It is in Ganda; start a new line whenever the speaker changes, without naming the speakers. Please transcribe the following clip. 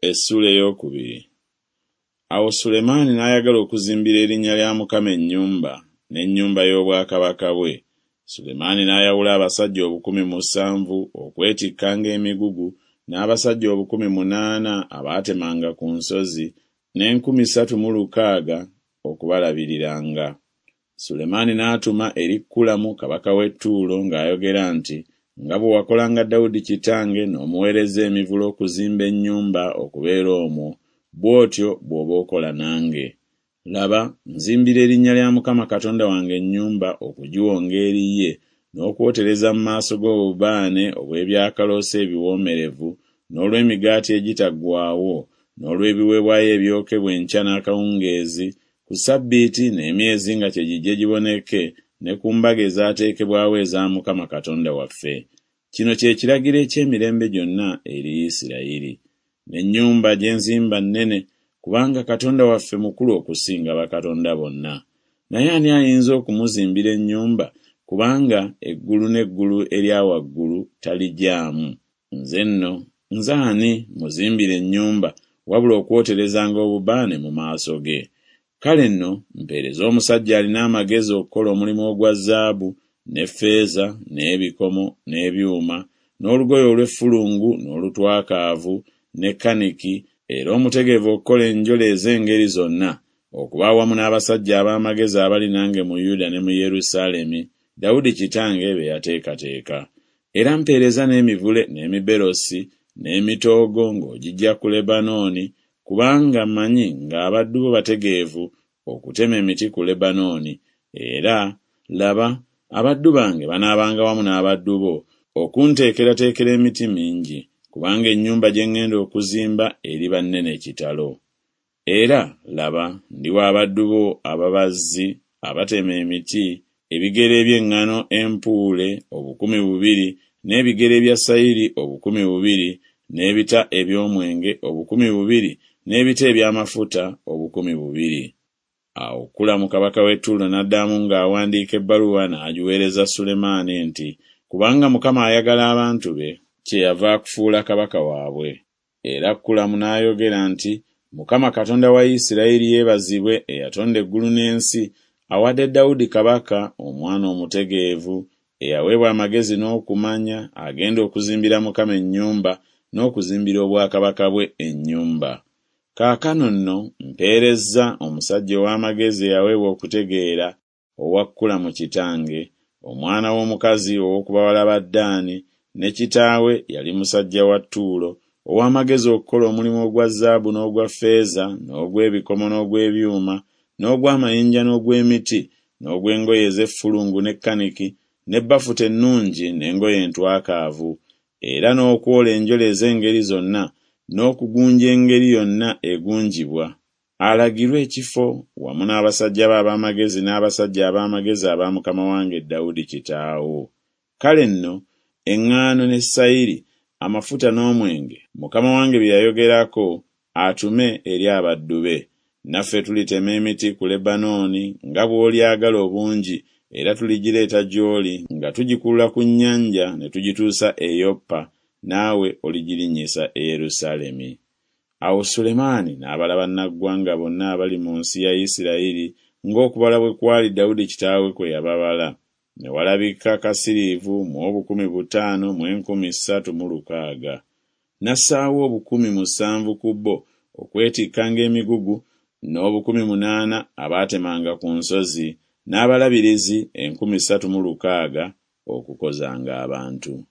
Essuula ey'okubiri. Awo Sulemaani n'ayagala okuzimbira erinnya lya Mukama ennyumba, n'ennyumba y'obwakabaka bwe. Sulemaani n'ayawula abasajja 7000 okwetikkanga emigugu, n'abasajja 8000 abaatemanga ku nsozi, n'enkumi ssatu mu lukaaga okubalabiriranga. Sulemaani n'atuma eri Kulamu kabaka w'e Ttuulo ng'ayogera nti Nga bwe wakolanga Dawudi kitange n'omuweereza emivule okuzimba ennyumba okubeera omwo, bw'otyo bw'oba okola nange. Laba, nzimbira erinnya lya Mukama Katonda wange ennyumba okugiwonga eri ye, n'okwotereza mu maaso ge obubaane obw'ebyakaloosa ebiwoomerevu, n'olw'emigaati egitaggwaawo, n'olw'ebiweebwayo ebyokebwa enkya n'akawungeezi, ku ssabbiiti n'emyezi nga kye gijje giboneke, ne ku mbaga ezaateekebwawo eza Mukama Katonda waffe. Kino kye kiragiro eky'emirembe gyonna eri Isirayiri. N'ennyumba gye nzimba nnene, kubanga Katonda waffe mukulu okusinga bakatonda bonna. Naye ani ayinza okumuzimbira ennyumba, kubanga eggulu n'eggulu erya waggulu taligyamu? Nze nno, nze ani, mmuzimbire ennyumba, wabula okwoterezanga obubaane mu maaso ge? Kale nno mpeereza omusajja alina amagezi okukola omulimu ogwa zaabu, ne ffeeza, n'ebikomo, n'ebyuma, n'olugoye olw'effulungu n'olutwakaavu, ne kaniki, era omutegeevu okukola enjole ez'engeri zonna, okuba awamu n'abasajja ab'amagezi abali nange mu Yuda ne mu Yerusaalemi, Dawudi kitange be yateekateeka. Era mpeereza n'emivule n'emiberosi n'emitoogo ng'ogiggya ku Lebanooni, kubanga mmanyi ng'abaddu bo bategeevu okutema emiti ku Lebanooni, era, laba, abaddu bange banaabanga wamu n'abaddu bo okunteekerateekera emiti mingi, kubanga ennyumba gye ŋŋenda okuzimba eriba nnene kitalo. Era, laba, ndiwa abaddu bo ababazzi abatema emiti ebigera eby'eŋŋano empuule 2000, n'ebigera ebya sayiri 2000, n'ebita eby'omwenge 2000, n'ebita eby'amafuta 2000. Awo Kulamu kabaka w'e Ttuulo n'addamu ng'awandiika ebbaluwa n'agiweereza Sulemaani nti Kubanga Mukama ayagala abantu be, kyeyava akufuula kabaka waabwe. Era Kulamu n'ayogera nti Mukama Katonda wa Isiraeri yeebazibwe eyatonda eggulu n'ensi, awadde Dawudi kabaka omwana omutegeevu, eyaweebwa amagezi n'okumanya, agenda okuzimbira Mukama ennyumba, n'okuzimbira obwakabaka bwe ennyumba. Kaakano nno mpeerezza omusajja ow'amagezi eyaweebwa okutegeera, owa Kulamu kitange, omwana w'omukazi ow'oku bawala ba Ddaani, ne kitaawe yali musajja wa Ttuulo, ow'amagezi okukola omulimu ogwa zaabu n'ogwa ffeeza n'ogw'ebikomo n'ogw'ebyuma n'ogw'amayinja n'ogw'emiti n'ogw'engoye ez'effulungu ne kaniki ne bafuta ennungi n'engoye entwakaavu, era n'okwola enjole ez'engeri zonna n'okugunja engeri yonna egunjibwa, alagirwe ekifo wamu n'abasajja be ab'amagezi n'abasajja ab'amagezi aba mukama wange Dawudi kitaawo. Kale nno eŋŋaano ne sayiri, amafuta n'omwenge, mukama wange bye yayogerako, atume eri abaddu be. Naffe tulitema emiti ku Lebanooni nga bw'olyagala obungi, era tuligireeta gy'oli nga tugikulula ku nnyanja ne tugituusa e Yopa, naawe oligirinnyisa e Yerusaalemi. Awo Sulemaani n'abala bannaggwanga bonna abali mu nsi ya Isirayiri ng'okubala bwe kwali Dawudi kitaawe kwe yababala, ne walabika kasiriivu mu 500 mu 360. N'assaawo 7000 ku bo okwetikkanga emigugu, n'obukumi munaana abaatemanga ku nsozi, n'abalabirizi enkumi ssatu mu lukaaga okukozanga abantu.